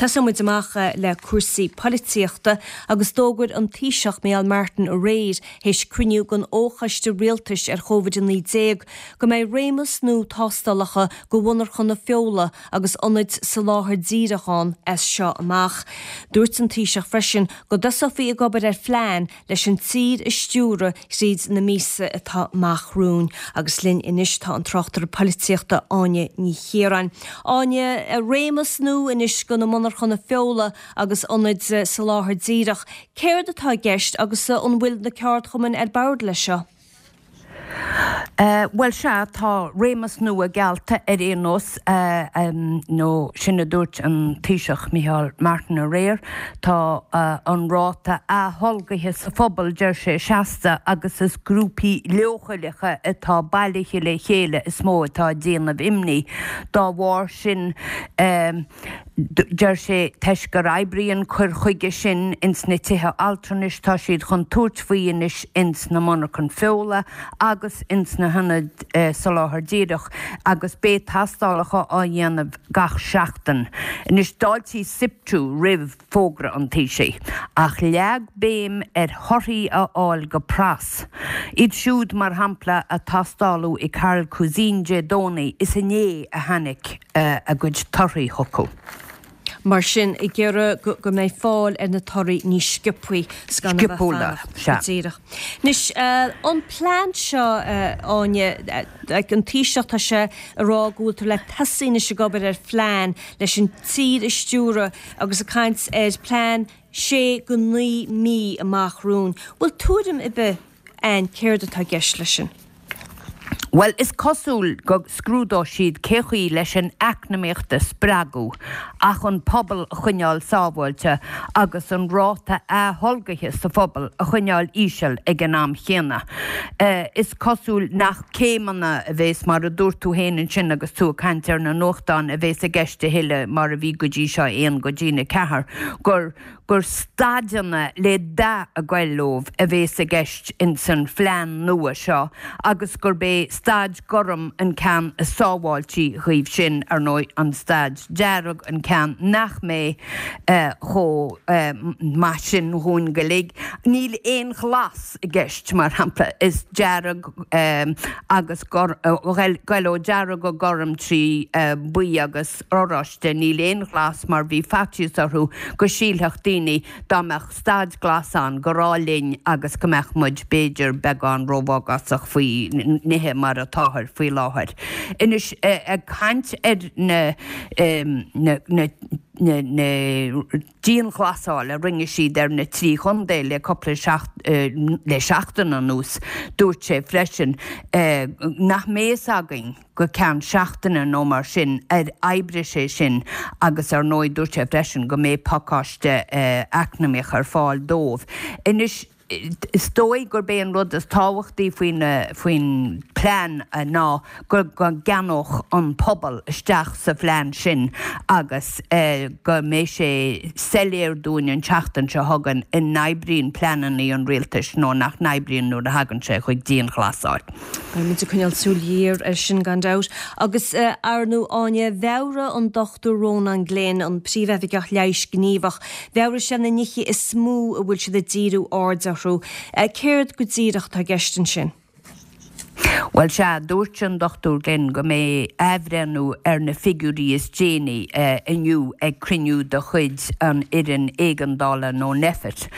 Tosóidh muid amach le cúrsaí polaitíochta agus d'fhógair an Taoiseach Micheál Martin aréir théis cruinniú den Fhochoiste Rialtais ar Chóivid-19 go mbeidh réimeas nua tástálacha do mhonarchana feola agus ionaid soláthair díreach ann as seo amach. Dúirt an Taoiseach freisin go dtosófaí ag obair ar phlean leis an tír a stiúradh thríd na míosa atá amach romhainn. Agus linn anois tá an tráchtaire polaitíochta Áine Ní Chiaráin. Áine, réimeas nua anois do na monarchana feola agus ionaid soláthair díreach. Céard atá i gceist agus an bhfuil na ceardchumainn ar bord leis seo? Bhuel, sea, tá réimeas nua geallta ar aon nós, nó sin a dúirt an Taoiseach Micheál Martin aréir. Tá an ráta atholgaithe sa phobal, deir sé, seasta agus is grúpaí leochaileacha atá bailithe le chéile is mó atá ag déanamh imní. Dá bharr sin, Deir sé, toisc gur oibrigh an cur chuige sin ins na tithe altranais, tá siad chun tabhairt faoi anois ins na monarchain feola agus ins na hionaid soláthair díreach agus beidh tastálacha á dhéanamh gach seachtain. Anois, d'fháiltigh SIPTU roimh fógra an Taoisigh, ach leag béim ar thorthaí a fháil go pras. Iad siúd, mar shampla, a tastáladh i Carroll Cuisine Dé Domhnaigh, is inné a tháinig a gcuid torthaí chucu. Mar sin, ag iarraidh go mbeidh fáil ar na torthaí níos sciobthaí 's gan a bheith fanacht go díreach. Anois, an plean seo, Áine, an Taoiseach, tá sé ag rá go bhfuiltear le tosaí anois ag obair ar phlean leis an tír a stiúradh agus ag caint ar phlean sé go 9 mí amach romhainn. Bhfuil tuairim ar bith a'inn céard atá i gceist leis sin? Bhuel, is cosúil go scrúdóidh siad cé chaoi leis an eacnamaíocht a spreagadh ach an pobal a choinneáil sábháilte agus an ráta atholgaithe sa phobal a choinneáil íseal ag an am chéanna. Is cosúil nach céimeanna a bhéas, mar a dúirt tú féin ansin agus tú ag caint ar na nuachtáin, a bhéas i gceist a thuilleadh mar a bhí go dtí seo, 1 go dtí 4, gur gur staideanna le dath ag goil leo a bhéas i gceist ins an phlean nua seo agus gurb é staid gorm an ceann is sábháiltí dhíobh sin, ar ndóigh, an staid dearg an ceann nach mbeidh chomh maith sin dhúinn go uilig. Níl aon ghlas i gceist, mar shampla, is dearg agus goil ó dearg go gorm trí buí agus. oráiste, níl aon ghlas mar bhí faitíos orthu go sílfeadh daoine dá mbeadh staid glas ann gur áil linn agus go mbeadh muid b'fhéidir beagán rómhagásach faoi nithe mar atáthair faoi láthair. Anois ag caint ar na na na na dianghlasáil a rinne siad ar na trí chontae le cúpla le seachtain anuas, dúirt sé freisin nach mbeidh fhios againn go ceann seachtaine nó mar sin ar oibrigh sé sin agus ar ndóigh dúirt sé freisin go mbeidh pacáiste eacnamaíoch ar fáil dóibh. Anois is dóigh gurb é an rud is tábhachtaí faoin faoin plean ná go gceannódh an pobal isteach sa phlean sin agus go mbeidh sé soiléir dúinn an tseachtain seo chugainn an n-oibríonn pleananna an rialtais nó nach n-oibríonn nuair a thagann sé chuig dianghlasáil. Beidh muid ag coinneáil súil ghéar air sin gan dabht. Agus ar ndóigh Áine, mheabhraigh an Dr Rónán Glynn, an Príomhoifigeach Leighis Gníomhach, mheabhraigh sé na nithe is mó a bhfuil siad ag díriú aird orthu. Céard go díreach atá i gceist ansin? Bhuel sea, dúirt an Dr Glynn go mbeidh athbhreithniú ar na figiúirí is déanaí inniu ag cruinniú de chuid an fhoireann éigeandála nó Nphet.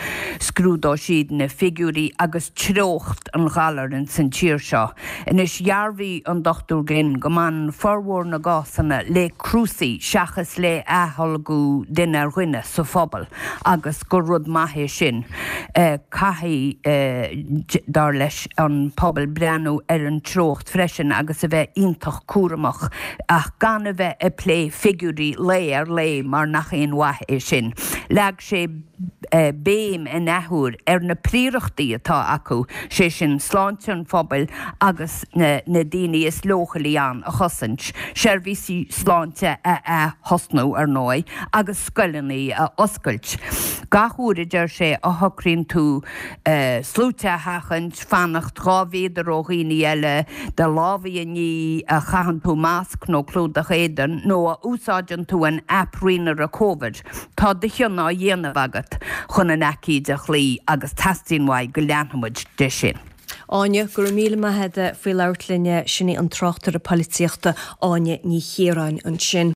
Scrúdóidh siad na figiúirí agus treocht an ghalair ins an tír seo. Anois, dhearbhaigh an Dr Glynn go mbaineann formhór na gcásanna le crúsaí seachas le atholgadh duine ar dhuine sa phobal agus gur rud maith é sin. Caithfidh, dar leis, an pobal breathnú ar an treocht freisin agus a bheith iontach cúramach ach gan a bheith ag plé figiúirí lae ar lae mar nach aon mhaith é sin. Leag sé. béim in athuair ar na príorachtaí atá acu, sé sin sláinte an phobail agus na daoine is leochailí ann a chosaint, seirbhísí sláinte a ath-thosnú, ar ndóigh, agus scoileanna a oscailt. Gach uair, a deir sé, a shocraíonn tú sluaite a sheachaint, fanacht 2 mhéadar ó dhaoine eile, do lámha a ní, a chaitheann tú masc nó clúdach éadain, nó a úsáideann tú an aip rianaire Covid, tá do chion á dhéanamh agat chun an aicíd a chloí agus teastaíonn uaidh go leanfaimid de sin. Áine, Go raibh míle maith agat faoi labhairt linn. Sin í an tráchtaire polaitíochta Áine Ní Chiaráin ansin.